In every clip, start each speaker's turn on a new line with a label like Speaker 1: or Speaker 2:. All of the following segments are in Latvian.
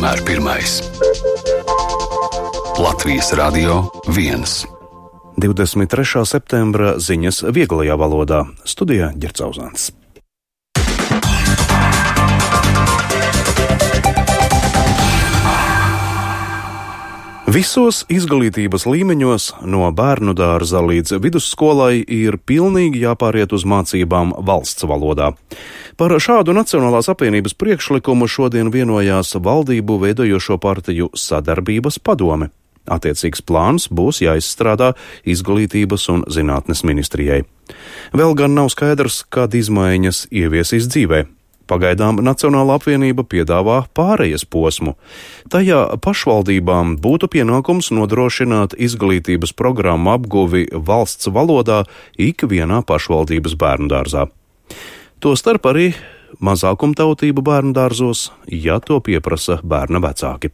Speaker 1: vienmēr pirmais. Latvijas Radio 1.
Speaker 2: 23. septembra ziņas vieglajā valodā. Studijā Ģerts Auzāns. Visos izglītības līmeņos, no bērnu dārza līdz vidusskolai, ir pilnīgi jāpāriet uz mācībām valsts valodā. Par šādu Nacionālās apvienības priekšlikumu šodien vienojās valdību veidojošo partiju sadarbības padome. Attiecīgs plāns būs jāizstrādā Izglītības un zinātnes ministrijai. Vēl gan nav skaidrs, kad izmaiņas ieviesīs dzīvē. Pagaidām Nacionālā apvienība piedāvā pārejas posmu. Tajā pašvaldībām būtu pienākums nodrošināt izglītības programmu apguvi valsts valodā ikvienā pašvaldības bērndārzā. Tostarp arī mazākumtautību bērndārzos, ja to pieprasa bērna vecāki.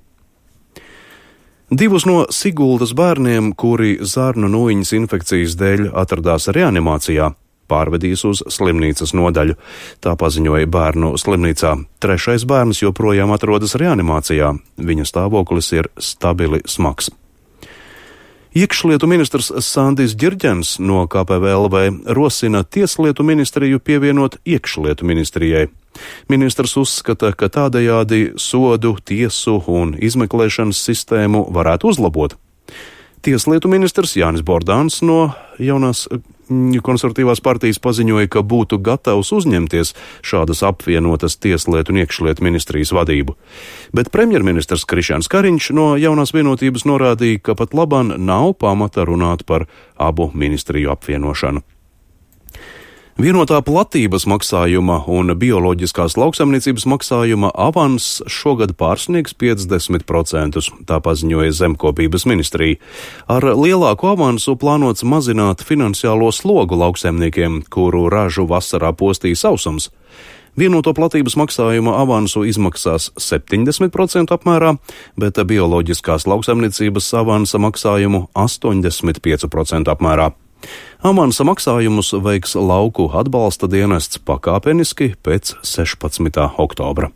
Speaker 2: Divus no Siguldas bērniem, kuri zarnu nūjiņas infekcijas dēļ atradās reanimācijā, pārvedīs uz slimnīcas nodaļu. Tā paziņoja bērnu slimnīcā. Trešais bērns joprojām atrodas reanimācijā. Viņa stāvoklis ir stabili smags. Iekšlietu ministrs Sandis Ģirģens no KPVLV rosina Tieslietu ministriju pievienot iekšlietu ministrijai. Ministrs uzskata, ka tādējādi sodu, tiesu un izmeklēšanas sistēmu varētu uzlabot. Tieslietu ministrs Jānis Bordāns no jaunās konservatīvās partijas paziņoja, ka būtu gatavs uzņemties šādas apvienotas Tieslietu un iekšlietu ministrijas vadību. Bet premjerministrs Krišjāns Kariņš no jaunās vienotības norādīja, ka pat labāk nav pamata runāt par abu ministriju apvienošanu. Vienotā platības maksājuma un bioloģiskās lauksaimniecības maksājuma avans šogad pārsniegs 50%, tā paziņoja Zemkopības ministrija. Ar lielāku avansu plānots mazināt finansiālo slogu lauksaimniekiem, kuru ražu vasarā postīja sausums. Vienoto platības maksājuma avansu izmaksās 70% apmērā, bet bioloģiskās lauksaimniecības avansa maksājumu 85% apmērā. Avansa maksājumus veiks lauku atbalsta dienests pakāpeniski pēc 16. oktobra.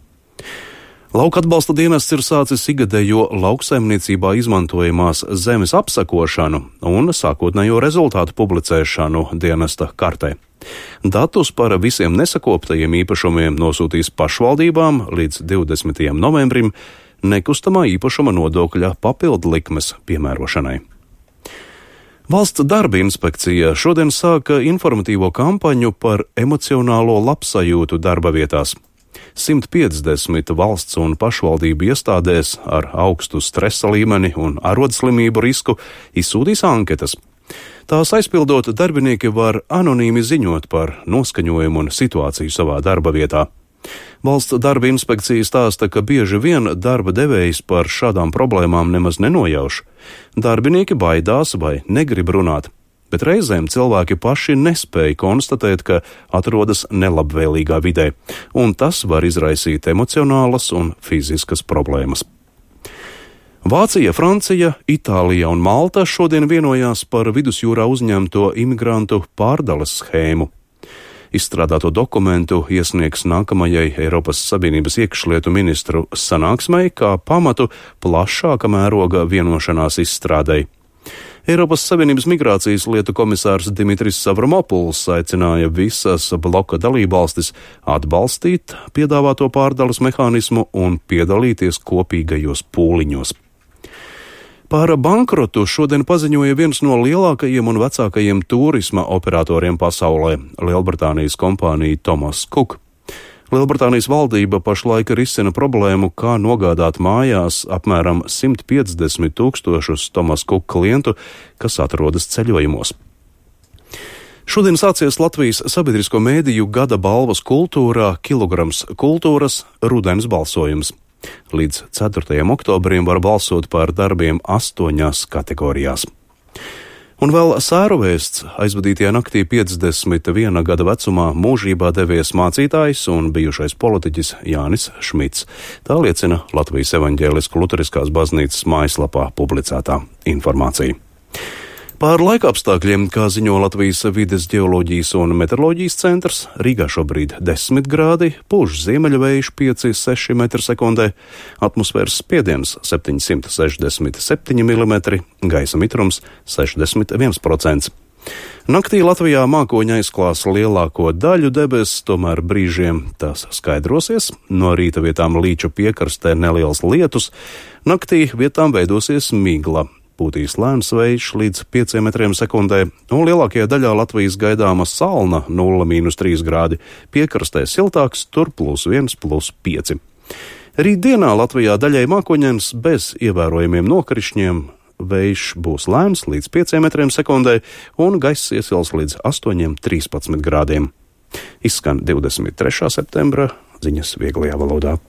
Speaker 2: Lauka atbalsta dienests ir sācis ikgadējo lauksaimniecībā izmantojamās zemes apsakošanu un sākotnējo rezultātu publicēšanu dienesta kartē. Datus par visiem nesakoptajiem īpašumiem nosūtīs pašvaldībām līdz 20. novembrim nekustamā īpašuma nodokļa papildlikmes piemērošanai. Valsts darba inspekcija šodien sāka informatīvo kampaņu par emocionālo labsajūtu darba vietās. 150 valsts un pašvaldību iestādēs ar augstu stresa līmeni un arodslimību risku izsūtīs anketas. Tās aizpildot, darbinieki var anonīmi ziņot par noskaņojumu un situāciju savā darba vietā. Valsts darba inspekcija stāsta, ka bieži vien darba devējs par šādām problēmām nemaz nenojauš. Darbinieki baidās vai negrib runāt, bet reizēm cilvēki paši nespēja konstatēt, ka atrodas nelabvēlīgā vidē, un tas var izraisīt emocionālas un fiziskas problēmas. Vācija, Francija, Itālija un Malta šodien vienojās par vidusjūrā uzņemto imigrantu pārdales schēmu. Izstrādāto dokumentu iesniegs nākamajai Eiropas Savienības iekšlietu ministru sanāksmei kā pamatu plašāka mēroga vienošanās izstrādei. Eiropas Savienības migrācijas lietu komisārs Dimitris Savramopuls aicināja visas bloka dalībvalstis atbalstīt piedāvāto pārdales mehānismu un piedalīties kopīgajos pūliņos. Par bankrotu šodien paziņoja viens no lielākajiem un vecākajiem turisma operatoriem pasaulē - Lielbritānijas kompānija Thomas Cook. Lielbritānijas valdība pašlaik risina problēmu, kā nogādāt mājās apmēram 150 000 Thomas Cook klientu, kas atrodas ceļojumos. Šodien sācies Latvijas sabiedrisko mēdīju gada balvas kultūrā Kilograms kultūras rudens balsojums. Līdz 4. oktobrim var balsot par darbiem 8 kategorijās. Un vēl sēru vēsts. Aizvadītajā naktī 51 gada vecumā mūžībā devies mācītājs un bijušais politiķis Jānis Šmits. Tā liecina Latvijas evaņģēlisko luteriskās baznīcas mājaslapā publicētā informācija. Par laikapstākļiem, kā ziņo Latvijas vides ģeoloģijas un meteoroloģijas centrs, Rīgā šobrīd 10 grādi, pūš ziemeļvējš 5–6 m/sekundē, atmosfēras spiediens 767 mm, gaisa mitrums 61%. Naktī Latvijā mākoņi aizklās lielāko daļu debesis, tomēr brīžiem tās skaidrosies, no rīta vietām Līča piekrastē neliels lietus, naktī vietām veidosies migla. Pūtīs lēns vējš līdz 5 m/sekundē, un lielākajā daļā Latvijas gaidāma salna 0–3 grādi, piekrastē siltāks, tur +1, +5. Rītdienā Latvijā daļai mākoņains bez ievērojamiem nokrišņiem, vējš būs lēns līdz 5 m/sekundē, un gaiss iesils līdz 8–13 grādiem. Izskan 23. septembra ziņas vieglajā valodā.